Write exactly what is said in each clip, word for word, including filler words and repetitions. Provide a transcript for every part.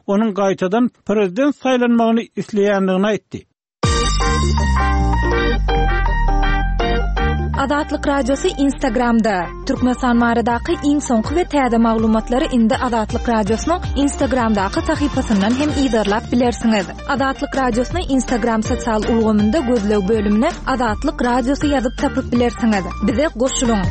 onuň gaýtadan prezident saýlanmagyny isleýändigini aýtdy. Azatlyk Radiosy Instagramda. Türkmenistan baradaky iň soňky we täze maglumatlary indi Azatlyk Radiosynyň Instagramdaky sahypasyndan hem yzarlap bilersiňiz. Azatlyk Radiosyny Instagram sosial ulgamynda gözleg bölümine Azatlyk Radiosy ýazyp tapyp bilersiňiz. Bize goşulyň.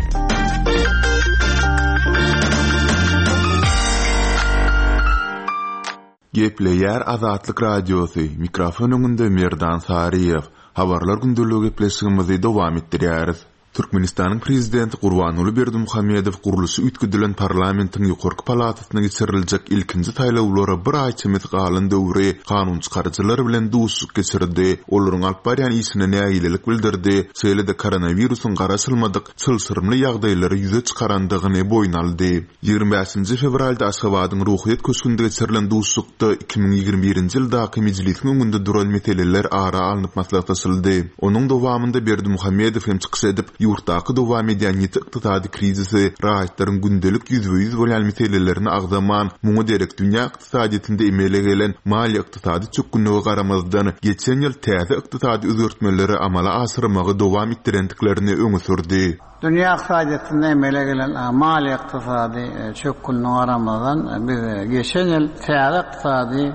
Gepleýär Azatlyk Radiosy, mikrofon öňünde Merdan Saryýew. Habarlar gündeligi gepleşigimizi dowam etdirýäris. Türkmenistanyň prezidenti Gurbanguly Berdimuhamedow gurluşy üýtgedilen parlamentiň ýokarky palatasyna geçiriljek ilkinji saýlawlara bir aý çemesi galan döwri kanunçykaryjylar bilen duşuşyk geçirdi, olaryň alyp barýan işine nägilelik bildirdi, şeýle-de koronawirusyň garaşylmadyk çylşyrymly ýagdaýlary ýüze çykarandygyny boýun aldy. Ýigrimi bäşinji fewralda Aşgabadyň Ruhyýet köşgünde geçirilen duşuşykda iki müň ýigrimi birinji ýyldaky mejlisiň öňünde duran meseleler ara alnyp maslahatlaşyldy. Onuň dowamynda Berdimuhamedow hem çykyş edip, ýurtdaky dowam edýän ýiti ykdysady krizisi, raýatlaryň gündelik ýüzbe-ýüz bolýan meselelerini agzaman, muňa derek dünýä ykdysadyýetinde emele gelen maliýe-ykdysady çökgünlige garamazdan, geçen ýyl täze ykdysady özgertmeleri amala aşyrmagy dowam etdirendiklerini öňe sürdi. Dünýä ykdysadyýetinde emele gelen maliýe-ykdysady çökgünlige garamazdan, biz geçen ýyl täze ykdysady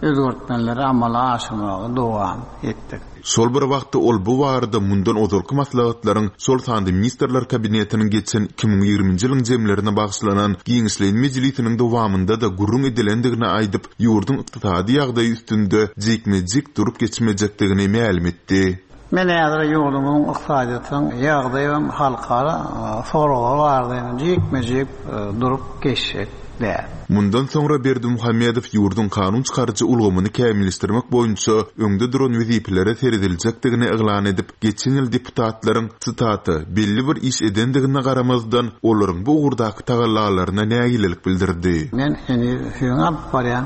özgertmeleri amala aşyrmagy dowam etdik. Şol bir wagtda ol bu barada mundan ozalky maslahatlaryň, şol sanda Ministrler Kabinetiniň geçen iki müň ýigriminji ýylyň jemlerine bagyşlanan giňişleýin mejlisiniň dowamynda-da gürrüň edilendigini aýdyp, ýurduň ykdysady ýagdaýy üstünde jikme-jik durup geçmejekdigini mälim etdi. Men häzir ýurdumyzyň ykdysadyýetiniň ýagdaýy hem halkara soraglar barada jikme-jik durup geçjek däl. Mundan soňra Berdimuhamedow ýurduň kanun çykaryjy ulgamyny kämilleşdirmek boýunça öňde duran wezipelere serediljekdigini yglan edip, geçen ýyl deputatlaryň, sitata, belli bir iş edendigine garamazdan, olaryň bu ugurdaky tagallalaryna nägilelik bildirdi. Men heniz siziň alyp barýan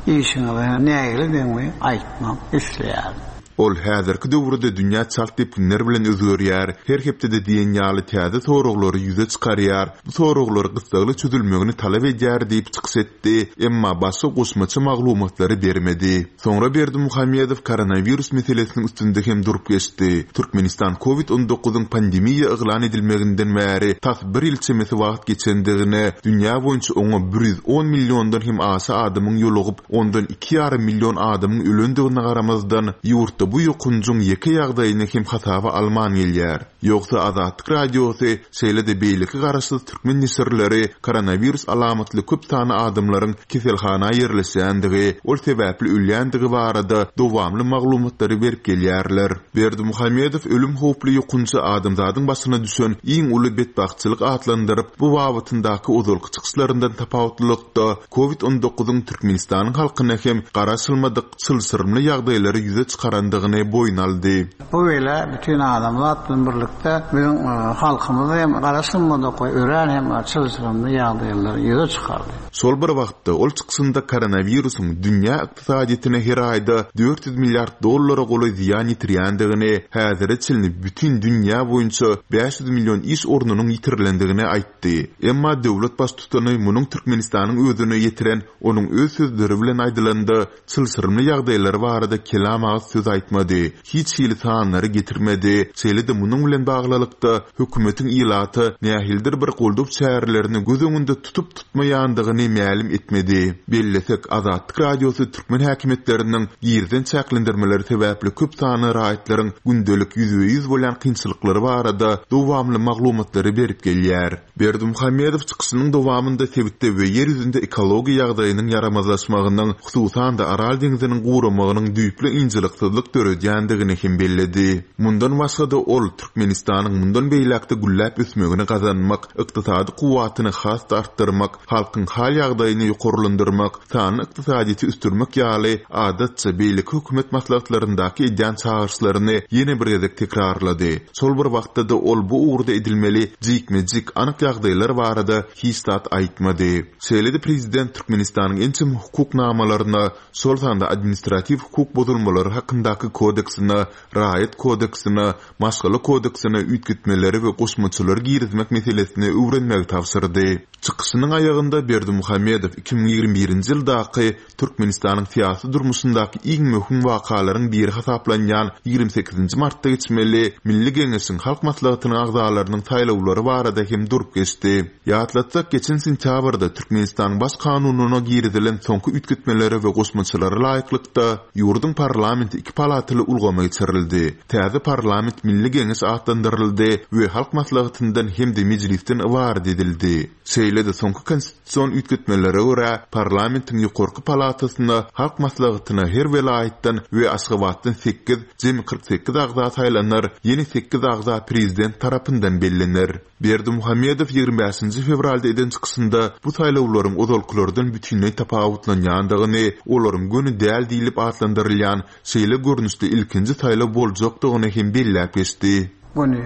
işiňize nägiledigimi aýtmak isleýärin. Ol häzirki döwürde dünýä çalt depginler bilen özgerýär, her hepdede diýen ýaly täze soraglary ýüze çykarýar, bu soraglar gyssagly çözülmegini talap edýär diýip çykyş etdi, emma başga goşmaça maglumatlary bermedi. Soňra Berdimuhamedow koronawirus meselesiniň üstünde hem durup geçdi. Türkmenistan kovid on dokuzyň pandemiýa yglan edilmeginden bäri tas bir ýyl çemesi wagt geçendigine, dünýä boýunça oňa bir ýüz on milliondan hem aşa adamyň ýolugyp, ondan iki ýarym million adamyň ölendigine garamazdan, ýurtda bu ýokunjyň ýeke ýagdaýyny hem hasaba alman gelýär. Ýogsa Azatlyk Radiosy, şeýle-de beýleki garaşsyz türkmen neşirleri koronawirus alamatly köp sany adamlaryň keselhana ýerleşýändigi, ol sebäpli ölýändigi barada dowamly maglumatlary berip gelýärler. Berdimuhamedow ölüm howply ýokunjy adamzadyň başyna düşen iň uly betbagtçylyk atlandyryp, bu babatyndaky ozalky çykyşlaryndan tapawutlylykda kovid on dokuzyň Türkmenistanyň halkyna hem garaşylmadyk çylşyrymly ýagdaýlary ýüze çykarandygyny boýun aldy. Bu beýle bütün adamzat bilen birlikde biziň, e, halkymyz hem garaşylmadyk we örän hem çylşyrymly ýagdaýlary ýüze çykardy. Şol bir wagtda ol çykyşynda koronawirusyň dünýä ykdysadyýetine her aýda dört ýüz milliard dollara golaý zyýan ýetirýändigini, häzire çenli bütün dünýä boýunça bäş ýüz million iş ornunyň ýitirilendigini aýtdy. Emma döwlet baştutany munuň Türkmenistanyň özüne ýetiren onuň öz sözleri bilen aýdylanda çylşyrymly ýagdaýlary barada kelam agyz söz aýtmady. Hiç hili sanlary getirmedi. Şeýle-de munuň bilen baglylykda hökümetiň ilaty nähildir bir goldaw çärelerini göz öňünde tutup tutmaýandygyny mälim etmedi. Bellesek, Azatlyk Radiosy türkmen häkimiýetleriniň girizen çäklendirmeleri sebäpli köp sanly raýatlaryň gündelik ýüzbe-ýüz bolýan kynçylyklary barada dowamly maglumatlary berip gelýär. Berdimuhamedow çykyşynyň dowamynda sebitde we ýer ýüzünde ekologiýa ýagdaýynyň ýaramazlaşmagynyň, hususan-da Aral deňziniň guramagynyň düýpli ynjalyksyzlyk döredýändigini hem belledi. Mundan başga-da ol Türkmenistanyň mundan beýläkde gülläp ösmegini gazanmak, ykdysady kuwwatyny has-da artdyrmak, halkyň hal ýagdaýyny ýokarlandyrmak, sanly ykdysadyýeti ösdürmek ýaly adatça beýleki hökümet maslahatlaryndaky edýän çagyryşlaryny ýene bir gezek tekrarlady. Şol bir wagtda-da ol bu ugurda edilmeli jikme-jik anyk ýagdaýlar barada hiç zat aýtmady. Şeýle-de prezident Türkmenistanyň ençeme hukuk namalaryna, şol sanda administratiw hukuk bozulmalary hakyndaky kodeksine, raýat kodeksine, maşgala kodeksine üýtgetmeleri we goşmaçalary girizmek meselesini öwrenmegi tabşyrdy. Çykyşynyň aýagynda Berdimuhamedow iki müň ýigrimi birinji ýyldaky Türkmenistanyň syýasy durmuşyndaky iň möhüm wakalaryň biri hasaplanýan ýigrimi sekizinji martda geçmeli Milli Geňeşiň Halk Maslahatynyň agzalarynyň saýlawlary barada hem durup geçdi. Ýatlatsak, geçen sentýabrda Türkmenistanyň Baş kanunyna girizilen soňky üýtgetmelere we goşmaçalara laýyklykda, ýurduň parlamenti iki palataly ulgama geçirildi. Täze parlament Milli Geňeş atlandyryldy we Halk Maslahatyndan hem-de Mejlisden ybarat edildi. Şeýle-de soňky konstitusion üýtgetmelere görä, parlamentiň ýokarky palatasyna Halk Maslahatyna her welaýatdan we Aşgabatdan sekiz, jemi kyrk sekiz agza saýlanar, ýene sekiz agza prezident tarapyndan bellener. Berdimuhamedow ýigrimi bäşinji fewralda eden çykyşynda bu saýlawlaryň ozalkylardan bütinleý tapawutlanýandygyny, olaryň göni däl diýlip atlandyrylýan şeýle görnüşde ilkinji saýlaw boljakdygyny hem belläp geçdi. Göni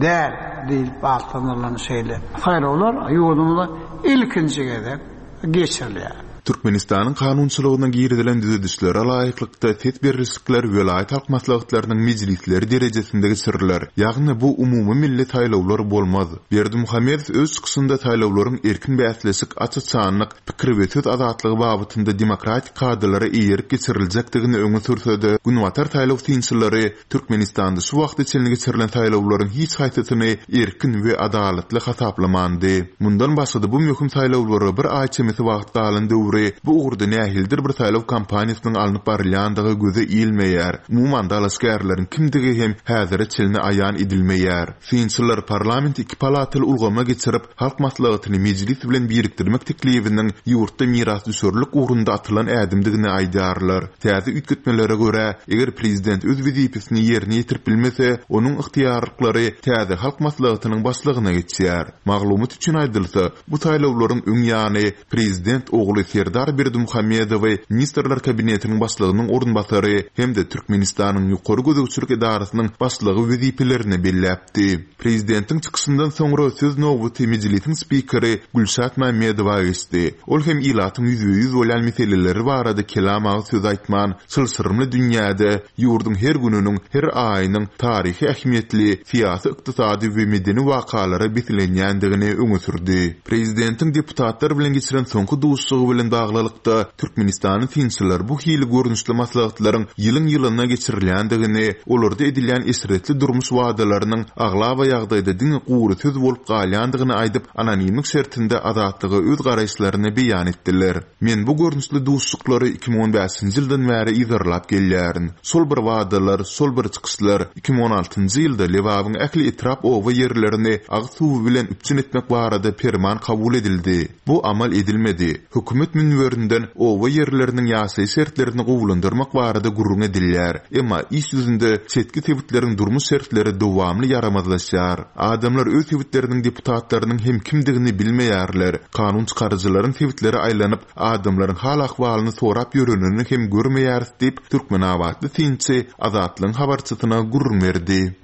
däl diýlip atlandyrylan şeýle saýlawlar ýurdumyzda ilkinji gezek geçirilýär. Türkmenistanyň kanunçylygyna girizilen düzedişlere laýyklykda ses berlişikler welaýat halk maslahatlarynyň mejlisleri derejesinde geçiriler. Ýagny bu umumymilli saýlawlar bolmaz. Berdimuhamedow öz çykyşynda saýlawlaryň erkin bäsleşik, aç-açanlyk, pikir we söz azatlygy babatynda demokratik kadalara eýerip geçiriljekdigini öňe sürse-de, günbatar saýlaw synçylary Türkmenistanda şu wagta çenli geçirilen saýlawlaryň hiç haýsysyny erkin we adalatly hasaplamandy. Mundan başga-da bu möhüm saýlawlara bir aý çemesi wagt galan döwri bu ugurda nähilidir bir saýlaw kampaniýasynyň alnyp barylýandygy göze ilmeýär. Umuman, dalaşgärleriň kimdigi hem häzire çenli aýan edilmeýär. Synçylar parlamenti iki palataly ulgama geçirip, Halk Maslahatyny Mejlis bilen birikdirmek teklibiniň ýurtda mirasdüşerlik ugrunda atylan ädimdigini aýdýarlar. Täze üýtgetmelere görä, eger prezident öz wezipesini ýerine ýetirip bilmese, onuň ygtyýarlyklary täze Halk Maslahatynyň başlygyna geçýär. Maglumat üçin aýdylsa, bu saýlawlaryň öň ýany prezident ogly Serdar Berdimuhamedowy Ministrler Kabinetiniň başlygynyň orunbasary hem-de Türkmenistanyň Ýokary gözegçilik edarasynyň başlygy wezipelerine belläpdi. Prezidentiň çykyşyndan soňra söz nobaty Mejlisiň spikeri Gülşat Mämmedowa geçdi. Ol hem ilatyň ýüzbe-ýüz bolýan meseleleri barada kelam agyz söz aýtman, çylşyrymly dünýäde ýurduň her gününiň, her aýynyň taryhy ähmiýetli syýasy-ykdysady we medeni wakalara beslenýändigini öňe sürdi. Prezidentiň deputatlar bilen geçiren soňky duşuşygy bilen baglylykda, Türkmenistanyň synçylar bu hili görnüşli maslahatlaryň ýylyň-ýylyna geçirilýändigini, olarda edilýän eşretli durmuş wadalarynyň aglaba ýagdaýda diňe gury söz bolup galýandygyny aýdyp, anonimlik şertinde Azatlyga öz garaýyşlaryny beýan etdiler. Men bu görnüşli duşuşyklary iki müň on bäşinji ýyldan bäri yzarlap gelýärin. Şol bir wadalar, şol bir çykyşlar. Iki müň on altynjy ýylda Lebabyň ähli etrap-oba ýerlerini agyz suwy bilen üpjün etmek barada perman kabul edildi. Bu amal edilmedi. Hökümet münberinden oba ýerleriniň ýaşaýyş şertlerini gowulandyrmak barada gürrüň edilýär. Emma iş ýüzünde çetki sebitleriň durmuş şertleri dowamly ýaramazlaşýar. Adamlar öz sebitleriniň deputatlarynyň hem kimdigini bilmeýärler. Kanun çykaryjylaryň sebitlere aýlanyp, adamlaryň hal-ahwalyny sorap ýörenini hem görmeýäris diýip, türkmenabatly synçy Azatlygyň habarçysyna gürrüň berdi.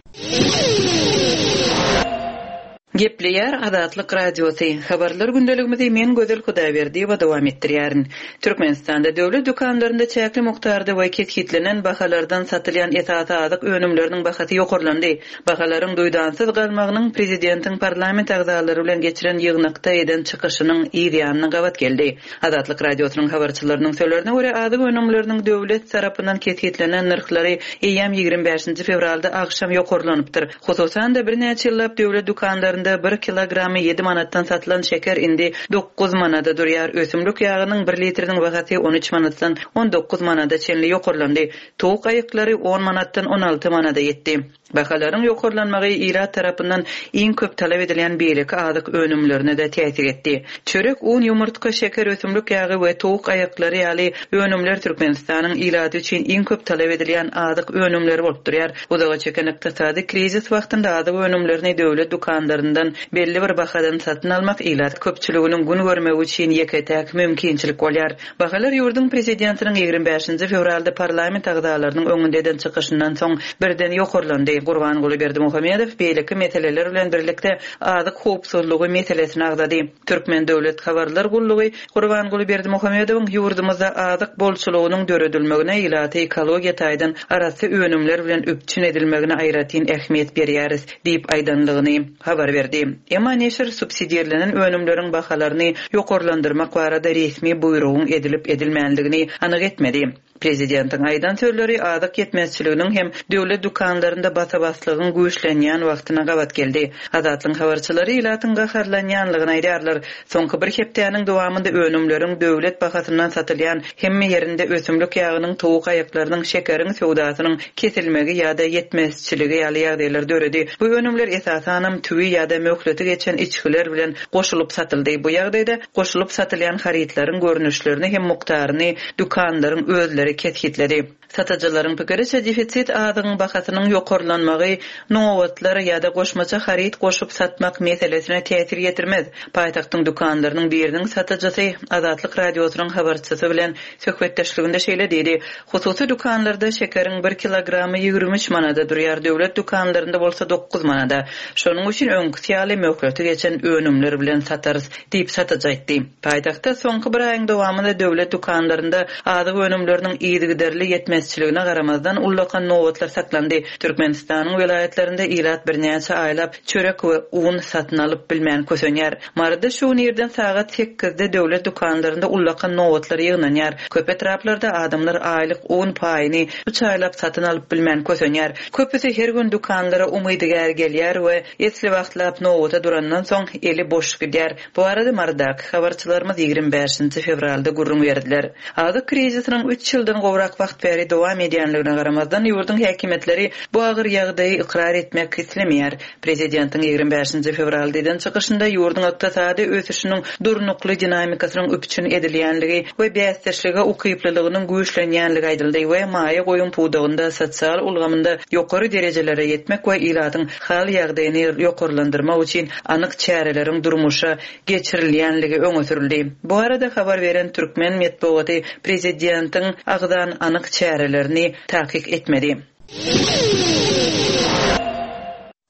Gepleýär Azatlyk Radiosy. Habarlar gündeligimizi men Gözel Hudaýberdiýewa dowam etdirýärin. Türkmenistanda döwlet dükanlarynda çäkli mukdarda we kesgitlenen bahalardan satylýan esasy azyk önümleriniň bahasy ýokarlandy. Bahalaryň duýdansyz galmagynyň prezidentiň parlament agzalary bilen geçiren ýygnakda eden çykyşynyň yz ýanyna gabat geldi. Azatlyk Radiosynyň habarçylarynyň sözlerine görä, azyk önümleriniň döwlet tarapyndan kesgitlenen nyrhlary eýýäm ýigrimi bäşinji fewralda agşam ýokarlanypdyr. Hususan-da birnäçe ýyllap döwlet dükanlarynda bir kilogramy ýedi manatdan satylan şeker indi dokuz manada durýar. Ösümlik ýagynyň bir litriniň bahasy on üç manatdan on dokuz manada çenli ýokarlandy. Towuk aýyklary on manatdan on alty manada ýetdi. Bahalaryň ýokarlanmagy ilat tarapyndan iň köp talap edilýän beýleki azyk önümlerine-de täsir etdi. Çörek, un, ýumurtga, şeker, ösümlik ýagy we towuk aýyklary ýaly önümler Türkmenistanyň ilaty üçin iň köp talap edilýän azyk önümleri bolup durýar. Uzaga çeken ykdysady krizis wagtynda azyk önümlerini döwlet dükanlaryndan belli bir bahadan satyn almak ilat köpçüliginiň gün görmegi üçin ýeke-täk mümkinçilik bolýar. Bahalar ýurduň prezidentiniň ýigrimi bäşinji fewralda parlament agzalarynyň öňünde eden çykyşyndan soň birden ýokarlandy. Gurbanguly Berdimuhamedow beýleki meseleler bilen birlikde azyk howpsuzlygy meselesini agzady. Türkmen döwlet habarlar gullugy Gurbanguly Berdimuhamedowyň ýurdumyzda azyk bolçulygynyň döredilmegine ilaty ekologiýa taýdan arassa önümler bilen üpjün edilmegine aýratyn ähmiýet berýäris diýip aýdanlygyny habar berdi. Emma neşir subsidirlenen önümleriň bahalaryny ýokarlandyrmak barada resmi buýrugyň edilip edilmänligini anyk etmedi. Prezidentiň aýdan sözleri azyk ýetmezçiliginiň hem döwlet dükanlarynda basa-baslygyň güýçlenýän wagtyna gabat geldi. Azatlygyň habarçylary ilatyň gaharlanýanlygyny aýdýarlar. Soňky bir hepdäniň dowamynda önümleriň döwlet bahasyndan satylýan hemme ýerinde ösümlik ýagynyň, towuk aýaklarynyň, şekeriň söwdasynyň kesilmegi ýa-da ýetmezçiligi ýaly ýagdaýlar döredi. Bu önümler esasanam tüwi ýa-da möhleti geçen içgiler bilen goşulyp satyldy. Bu ýagdaýda goşulyp satylýan harytlaryň görnüşlerini hem mukdaryny dükanlaryň özleri kesgitledi. Satyjylaryň pikiriçe defisit azygyň bahasynyň ýokarlanmagy nobatlar ýa-da goşmaça haryt goşup satmak meselesine täsir ýetirmez. Paýtagtyň dükanlarynyň biriniň satyjysy Azatlyk radiosynyň habarçysy bilen söhbetdeşliginde şeýle diýdi: Hususy dükanlarda şekeriň bir kilogramy ýigrimi üç manada durýar, döwlet dükanlarynda bolsa dokuz manada. Şonuň üçin öňküsi ýaly möhleti geçen önümler bilen satarys diýip satyjy aýtdy. Paýtagtda soňky bir aýyň dowamynda döwlet dükanlarynda azyk önümleriniň yzygiderli ýetmezçiligine garamazdan ullakan nobatlar saklandy. Türkmenistanyň welaýatlarynda ilat birnäçe aýlap çörek we un satyn alyp bilmän kösenýär. Maryda şu gün irden sagat sekizde döwlet dükanlarynda ullakan nobatlar ýygnanýar. Köp etraplarda adamlar aýlyk un paýyny üç aýlap satyn alyp bilmän kösenýär. Köpüsi her gün dükanlara umydygär gelýär we esli wagtlap nobata durandan soň eli boş gidýär. Bu arada Marydaky habarçylarymyz ýigrimi bäşinji fewralda gürrüň berdiler. Azyk krizisiniň üç ýyldan gowrak wagt bäri dowam edýänligine garamazdan ýurduň häkimiýetleri bu agyr ýagdaýy ykrar etmek islemeýär. Prezidentiň ýigrimi bäşinji fewralda eden çykyşynda ýurduň ykdysady ösüşiniň durnukly dinamikasynyň üpjün edilýänligi we bäsdeşlige ukyplylygynyň güýçlenýänligi aýdyldy we maýa goýum pudagynda sosial ulgamynda ýokary derejelere ýetmek we ilatyň hal ýagdaýyny ýokarlandyrmak üçin anyk çäreleriň durmuşa geçirilýänligi öňe sürüldi. Bu arada habar beren türkmen metbugaty prezidentiň agzan anyk çärelerini takyk etmedi.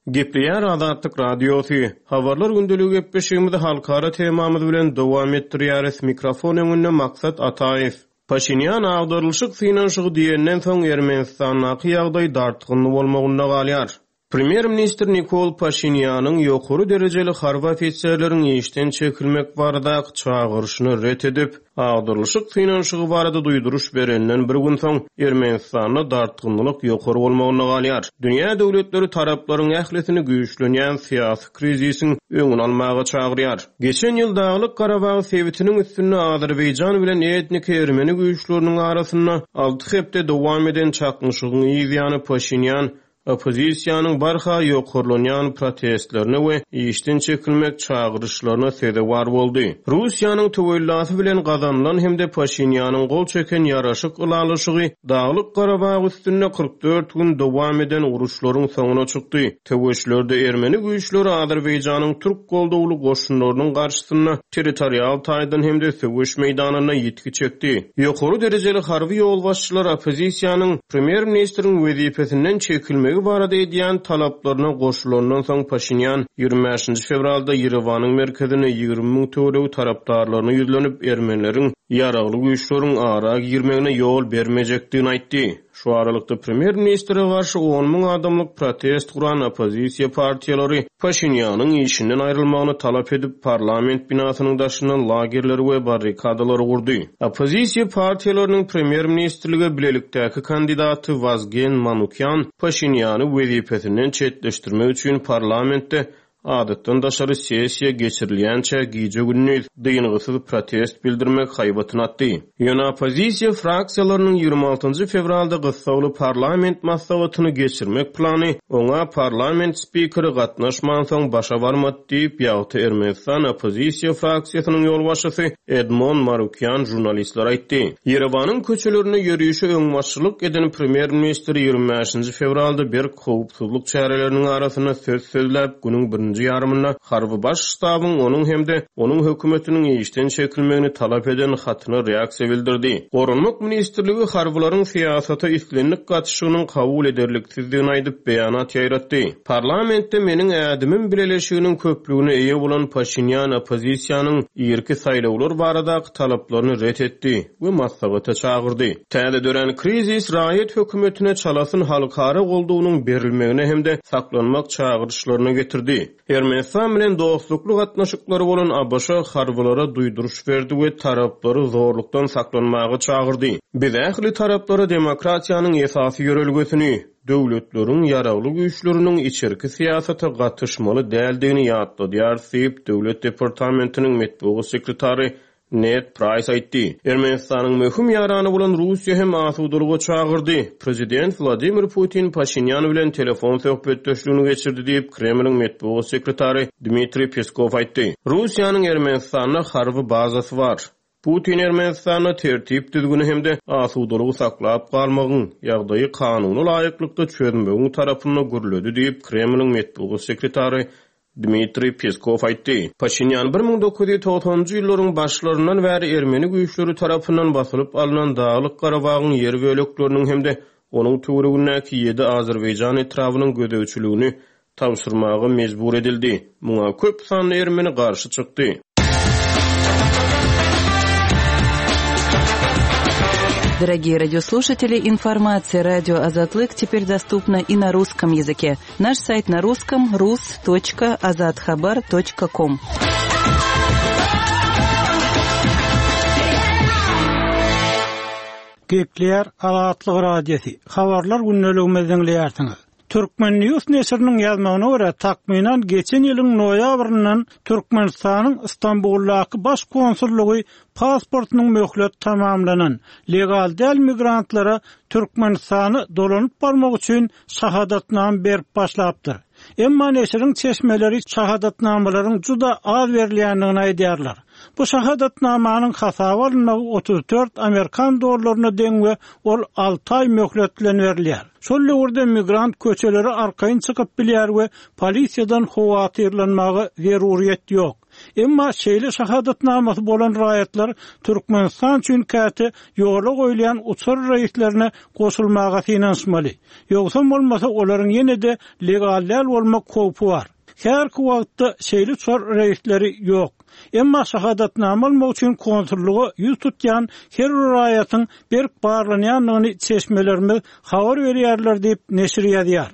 Gepleýär Azatlyk Radiosy. Habarlar gündeligi gepleşigimizi halkara temamyz bilen dowam etdirýäris. Mikrofon öňünde Maksat Ataýew. Paşinyan agdarylyşyk synanyşygy diýenden soň Ermenistandaky ýagdaý dartgynly bolmagynda galýar. Premýer-ministr Nikol Paşinýanyň ýokary derejeli harby ofiserleriň işden çekilmek baradaky çagyryşyny ret edip, agdarylyşyk synanyşygy barada duýduryş berenden bir gün soň Ermenistanda dartgynlyk ýokary bolmagynda galýar. Dünýä döwletleri taraplaryň ählisini güýçlenýän syýasy krizisiň öňüni almaga çagyrýar. Geçen ýyl Daglyk Garabag sebitiniň üstünde Azerbaýjan bilen etnik ermeni güýçleriniň arasynda alty hepde dowam eden çaknyşygyň ýany Paşinýan oppozisiýanyň barha ýokarlanýan protestlerine we işden çekilmek çagyryşlaryna sezewar boldy. Russiýanyň töwellasy bilen gazanylan hem-de Paşinýanyň gol çeken ýaraşyk ylalaşygy Daglyk Garabag üstünde kyrk dört gün dowam eden uruşlaryň soňuna çykdy. Töweşlerde ermeni güýçleri Azerbaýjanyň türk goldawly goşunlarynyň garşysynda territorial taýdan hem-de söweş meýdanynda ýitgi çekdi. Ýokary derejeli harby ýolbaşçylar oppozisiýanyň premýer-ministriň wezipesinden çekilmegi barada edýän talaplaryna goşulandan soň Paşinýan ýigrimi bäşinji fewralda Ýerewanyň merkezine ýigrimi müň töweregi tarapdarlaryna ýüzlenip ermenileriň ýaragly güýçleriň ara girmegine ýol bermejekdigini aýtdy. Şu aralykda premýer-ministre garşy on müň adamlyk protest guran oppozisiýa partiýalary Paşinýanyň işinden aýrylmagyny talap edip parlament binasynyň daşyndan lagerleri we barrikadalary gurdy. Oppozisiýa partiýalarynyň premýer-ministrlige bilelikdäki kandidaty Wazgen Manukyan Paşinýany wezipesinden çetleşdirmek üçin parlamentde adatdan daşary sessiýa geçirilýänçä gije gündüz dyngysyz protest bildirmek haýbatyny atdy. Ýöne oppozisiýa fraksiýalarynyň ýigrimi altynjy fewralda gyssagly parlament maslahatyny geçirmek plany oňa parlament spikeri gatnaşmansoň başa barmady diýip, ýagty Ermenistan oppozisiýa fraksiýasynyň ýolbaşçysy Edmon Marukyan jurnalistlere aýtdy. Ýerewanyň köçelerinde ýörişe öňbaşçylyk eden premýer-ministr ýigrimi bäşinji fewralda berk howpsuzlyk çäreleriniň arasynda söz sözläp, günüň birinji ikinji ýarymynda harby baş ştabyň onuň hem-de onuň hökümetiniň işden çekilmegini talap eden hatyna reaksiýa bildirdi. Goranmak ministrligi harbylaryň syýasata islendik gatyşygynyň kabul ederliksizdigini aýdyp beýanat ýaýratdy. Parlamentde meniň ädimim bileleşiginiň köplügine eýe bolan Paşinýan oppozisiýanyň irki saýlawlar baradaky talaplaryny ret etdi we maslahata çagyrdy. Täze dörän krizis raýat hökümetine çalasyn halkara goldugynyň berilmegine hem-de saklanmak çagyryşlaryna getirdi. Ermenistan bilen dostlukly gatnaşyklary bolan ABŞ harbylara duýduryş berdi we taraplary zorlukdan saklanmaga çagyrdy. Biz ähli taraplara demokratiýanyň esasy ýörelgesini, döwletleriň ýaragly güýçleriniň içerki syýasata gatyşmaly däldigini ýatladýarys diýip, Döwlet departamentiniň metbugat sekretary Ned Price aýtdy. Ermenistanyň möhüm ýarany bolan Russiýa hem asudalyga çagyrdy. Prezident Wladimir Putin Paşinýan bilen telefon söhbetdeşligini geçirdi diýip, Kremliň metbugat sekretary Dmitriý Peskov aýtdy. Russiýanyň Ermenistanda harby bazasy bar. Putin Ermenistanda tertip düzgüni hem-de asudalygy saklap galmagyň, ýagdaýy kanuna laýyklykda çözmegiň tarapynda gürledi diýip, Kremliň metbugat sekretary Dmitriý Peskov aýtdy. Paşinýan bir müň dokuz ýüz togsanynjy ýyllaryň başlaryndan bäri ermeni güýçleri tarapyndan basylyp alnan Daglyk Garabagyň ýer bölekleriniň hem-de onuň töweregindäki ýedi Azerbaýjan etrabynyň gözegçiligini tabşyrmaga mejbur edildi. Muňa köp sanly ermeni garşy çykdy. Дорогие радиослушатели, информация радио Азатлык теперь доступна и на русском языке. Наш сайт на русском рус точка азатхабар точка ком. Gepleýär Azatlyk Radiosy. Habarlar gündeligimizi diňleýärsiňiz. Türkmen News neşiriniň ýazmagyna görä, takmynan geçen ýylyň noýabryndan Türkmenistanyň Istanbuldaky baş konsullygy pasportynyň möhlet tamamlanan legal däl migrantlara Türkmenistana dolanyp barmak üçin şahadatnama berip başlapdyr. Emma neşiriň çeşmeleri şahadatnamalaryň juda az berilýändigini aýdýarlar. Bu şahadatnamanyň hasaba alynmagy otuz dört Amerikan dollaryna deň we ol alty aý möhlet bilen berilýär. Şol döwürde migrant köçeleri arkaýyn çykyp bilýär we polisiýadan howatyrlanmaga zeruriyet ýok. Emma şeýle şahadatnamasy bolan raýatlar Türkmenistan üçin käte ýola goýulýan uçar reýslerine goşulmaga synanyşmaly. Ýogsa bolmasa olaryň ýene-de legal däl bolmak howpy bar. Her wagtda şeýle uçar reýsleri ýok. Emma şahadatnama almak üçin konsullyga ýüz tutýan her bir raýatyň berk barlanýandygyny çeşmelerimiz habar berýärler diýip neşir ýazýar.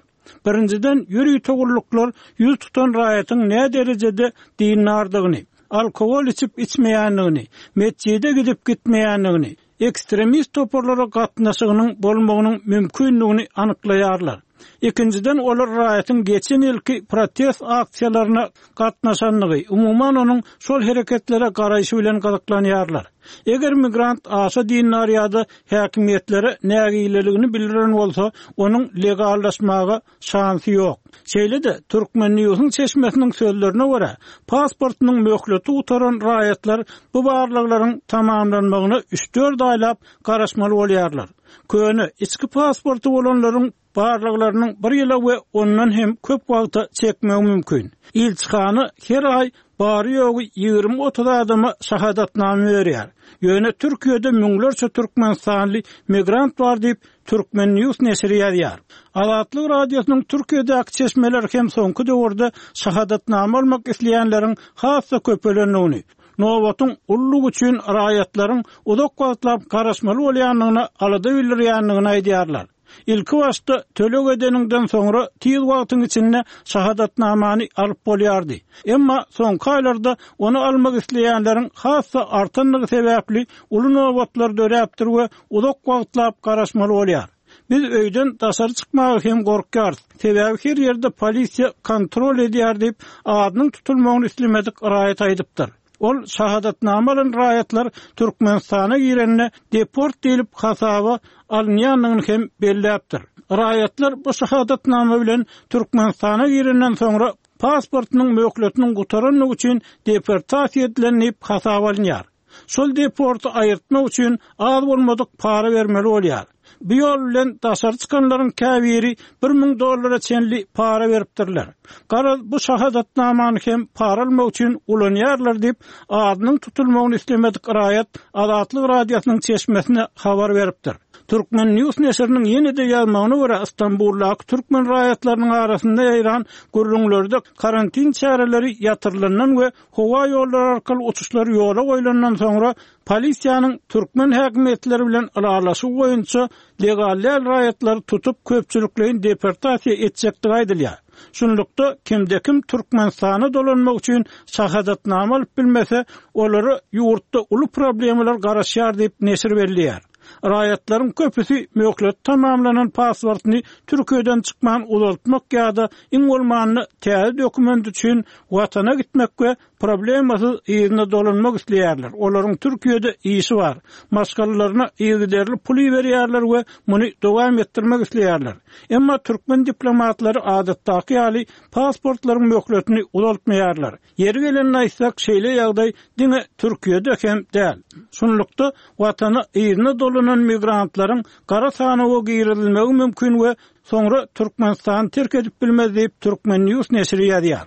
Birinjiden ýörite gulluklar ýüz tutan raýatyň näme derejede dindardygyny, alkogol içip içmeýändigini, metjide gidip gitmeýändigini, ekstremist toparlara gatnaşygynyň bolmagynyň mümkinligini anyklaýarlar. Ikinjiden olar raýatyň geçen ýylky protest aksiýalaryna gatnaşandygy, umuman onuň şol hereketlere garaýşy bilen gyzyklanýarlar. Eger migrant aşa dindar ýa-da häkimiýetlere nägileligini bildiren bolsa, onuň legallaşmaga şansy ýok. Şeýle-de Türkmen News'un çeşmesiniň sözlerine görä, pasportynyň möhleti gutaran raýatlar bu barlaglaryň tamamlanmagyna üç dört aýlap garaşmaly bolýarlar. Köne içki pasporty bolanlaryň barlaglarynyň bir ýyla we ondan hem köp wagta çekmegi mümkin. Ilçihana her aý bary ýogy ýigrimi otuz adama şahadatnama berýär. Ýöne Türkiýede müňlerçe Türkmenistanly migrant bar diýip Türkmen News neşiri ýazýar. Azatlyk Radiosynyň Türkiýedäki çeşmeleri hem soňky döwürde şahadatnama almak isleýänleriň has-da köpelendigini, nobatyň ullugy üçin raýatlaryň uzak wagtlap garaşmaly bolýandygyna alada bildirýändigini aýdýarlar. Ilki başda töleg edeninden soňra tiz wagtyň içinde şahadatnamany alyp bolýardy. Emma soňky aýlarda ony almak isleýänleriň has-da artandygy sebäpli uly nobatlar döräpdir we uzak wagtlap garaşmaly bolýar. Biz öýden daşary çykmaga hem gorkýarys. Sebäbi her ýerde polisiýa kontrol edýär diýip, adynyň tutulmagyny islemedik raýat aýdypdyr. Ol şahadatnama alan raýatlar Türkmenistana girende deport diýilip hasaba alynýandygyny hem belläpdir. Raýatlar bu şahadatnama bilen Türkmenistana girenden soňra pasportynyň möhletiniň gutarandygy üçin deportasiýa edilen diýip hasaba alynýar. Şol deporty aýyrtmak üçin az bolmadyk para bermeli bolýar. Bu ýol bilen daşary çykanlaryň käbiri bir müň dollara çenli para beripdirler. Garaz bu şahadatnamany hem para almak üçin ulanýarlar diýip, adynyň tutulmagyny islemedik raýat Azatlyk radiosynyň çeşmesine habar beripdir. Türkmen News neşiriniň ýene-de ýazmagyna görä, Istanbuldaky türkmen raýatlarynyň arasynda ýaýran gürrüňlerde karantin çäreleri ýatyrylandan we howa ýollary arkaly uçuşlar ýola goýlandan soňra polisiýanyň türkmen häkimiýetleri bilen ylalaşygy boýunça legal däl raýatlary tutup köpçülikleýin deportasiýa etjekdigi aýdylýar. Şunlukda kimde-kim Türkmenistana dolanmak üçin şahadatnama alyp bilmese, olara ýurtda uly problemalar garaşýar diýip neşir belleýär. Raýatlaryň köpüsi möhlet tamamlanan pasportyny Türkiýeden çykman uzaltmak ýa-da iň bolmanda täze dokument üçin watana gitmek we problemasyz yzyna dolanmak isleýärler. Olaryň Türkiýede işi bar. Maşgalalaryna yzygiderli pul iberýärler we muny dowam etdirmek isleýärler. Emma türkmen diplomatlary adatdaky ýaly pasportlaryň möhletini uzaltmaýarlar. Ýeri gelende aýtsak, şeýle ýagdaý diňe Türkiýede hem däl. Şunlukda watana yzyna dolanan migrantlaryň gara sanawa girizilmegi mümkin we soňra Türkmenistany terk edip bilmez diýip Türkmen News neşiri ýazýar.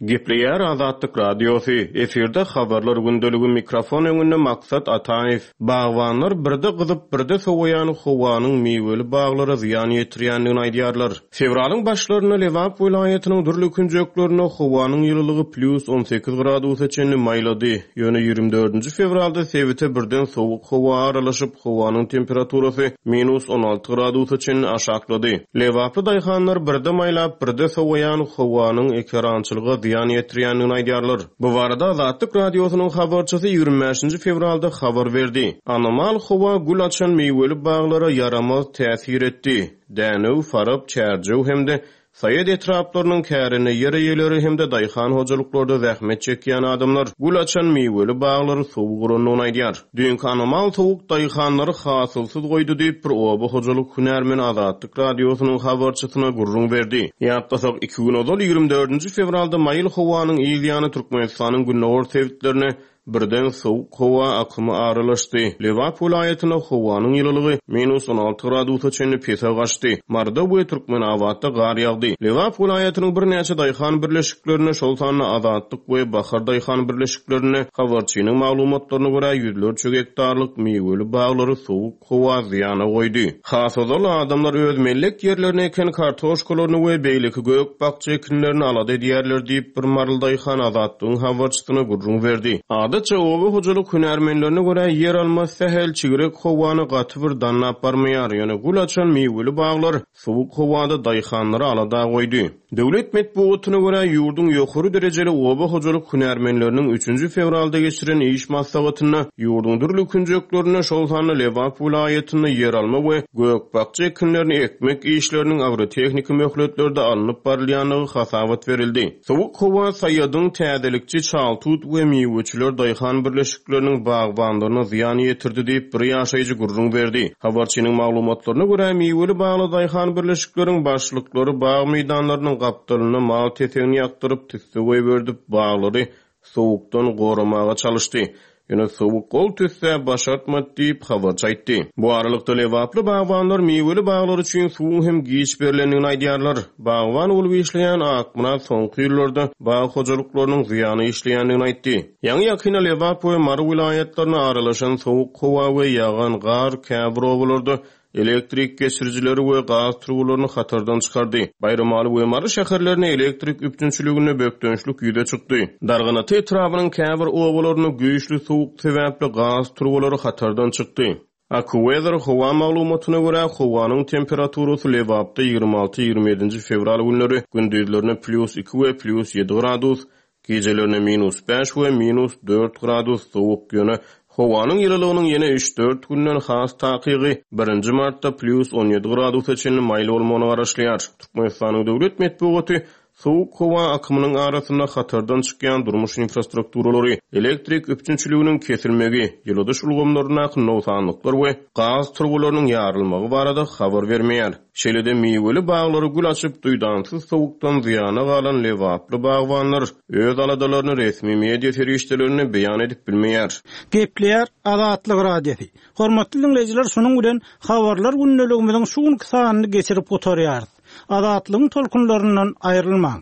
Gepleýär Azatlyk Radiosy, efirde habarlar gündeligi, mikrofon öňünde Maksat Ataýew. Bagbanlar birde gyzyp, birde sowaýan howanyň miweli baglara zyýan ýetirýändigini aýdýarlar. Fewralyň başlarynda Lebap welaýatynyň dürli künjeklerinde howanyň ýylylygy plus on sekiz gradusa çenli maýlady. Ýöne ýigrimi dördünji fewralda sebite birden sowuk howa aralaşyp, howanyň temperaturasy minus on alty gradusa çenli aşaklady. Lebaply daýhanlar birde maýlap, birde sowaýan howanyň ekerançylyga zyýan ýetirýändigini aýdýarlar. Bu barada Azatlyk Radiosynyň habarçysy ýigrimi bäşinji fewralda habar berdi. Anomal howa gül açan miweli baglara ýaramaz täsir etdi. Dänew, Farap, Çärjew hem-de Saýat etraplarynyň kärine ýer eýeleri hem-de daýhan hojalyklarda zähmet çekýän adamlar gül açan miweli baglary sowuk urandygyny aýdýar. Düýnki anomal sowuk daýhanlary hasylsyz goýdy diýip bir oba hojalyk hünärmeni Azatlyk Radiosynyň habarçysyna gürrüň berdi. Ýatlasak, iki gün ozal ýigrimi dördünji fewralda maýyl howanyň ýany Türkmenistanyň gündogar sebitlerine birden sowuk howa akymy aralaşdy. Lebap welaýatynda howanyň ýylylygy minus on alty gradusa çenli pese gaçdy. Marda we Türkmenabatda gar ýagdy. Lebap welaýatynyň birnäçe daýhan birleşiklerine, şol sanda Azatlyk we Bahar daýhan birleşiklerine habarçynyň maglumatlaryna görä ýüzlerçe gektarlyk miweli baglary sowuk howa zyýana goýdy. Has ozal adamlar öz mellek ýerlerine eken kartoşkalaryny we beýleki gök bakja ekinlerini alada edýärler diýip bir maryly daýhan Azatlygyň habarçysyna gürrüň berdi. Adatça oba hojalyk hünärmenlerine görä ýer alma sähel çigrek howany gaty bir dannap barmaýar. Ýöne gül açan miweli baglar sowuk howada daýhanlary alada goýdy. Döwlet metbugatyna görä ýurduň ýokary derejeli oba hojalyk hünärmenleriniň üçünji fewralda geçiren iş maslahatynda ýurduň dürli künjeklerinde, şol sanda Lebap welaýatynda ýer alma we gök bakja ekinlerini ekmek işleriniň agrotehniki möhletlerde alnyp barylýandygy hasabat berildi. Sowuk howa Saýadyň täzelikçi Çaltut we miweçiler daýhan birleşikleriniň bagbanlaryna zyýan ýetirdi diýip bir ýaşaýjy gürrüň berdi. Habarçynyň maglumatlaryna görä miweli bagly daýhan birleşikleriň başlyklary bag meýdanlarynyň gapdalynda mal tetegini ýakdyryp tüsse goýberdi, baglary sowukdan goramaga çalyşdy. Ýöne sowuk gol tüsse başartmady diýip habarçy aýtdy. Bu aralykda Lebaply bagbanlar miweli baglar üçin suwuň hem giç berilendigini aýdýarlar. Bagban bolup işleýän Akmyrat soňky ýyllarda bag hojalyklarynyň zyýany işleýändigini aýtdy. Ýaňy ýakynda Lebap we Mary welaýatlaryna aralaşan sowuk howa we ýagan gar käbir obalarda elektrik geçirijileri we gaz turbalaryny hatardan çykardy. Baýramaly we Mary şäherlerine elektrik üpjünçiliginde bökdençlik ýüze çykdy. Darganata etrabynyň käbir obalarynda güýçli sowuk sebäpli gaz turbalary hatardan çykdy. AccuWeather howa maglumatyna görä howanyň temperaturasy Lebapda ýigrimi alty ýigrimi ýedinji fewral günleri gündizlerine plus iki we plus ýedi gradus, gecelerine minus bäş we minus dört gradus sowuk, ýöne howanyň ýylylygynyň ýene üç dört günden has takygy birinji martda plus on ýedi gradusa çenli maýyl bolmagyna garaşylýar. Türkmenistanyň döwlet metbugaty sowuk howa akymynyň arasynda hatardan çykýan durmuş infrastrukturalary, elektrik üpjünçiliginiň kesilmegi, ýyladyş ulgamlaryndaky nogsanlyklar we gaz turbalarynyň ýarylmagy barada habar bermeýär. Şeýle-de miweli baglary gül açyp, duýdansyz sowukdan zyýana galan lebaply bagbanlar öz aladalaryny resmi media serişdelerinde beýan edip bilmeýär. Gepleýär Azatlyk Radiosy. Hormatly dinleýjiler, şunuň bilen habarlar gündeligimiziň şu günki sanyny geçirip gutarýarys. Azatlygyň tolkunlaryndan aýrylmaň.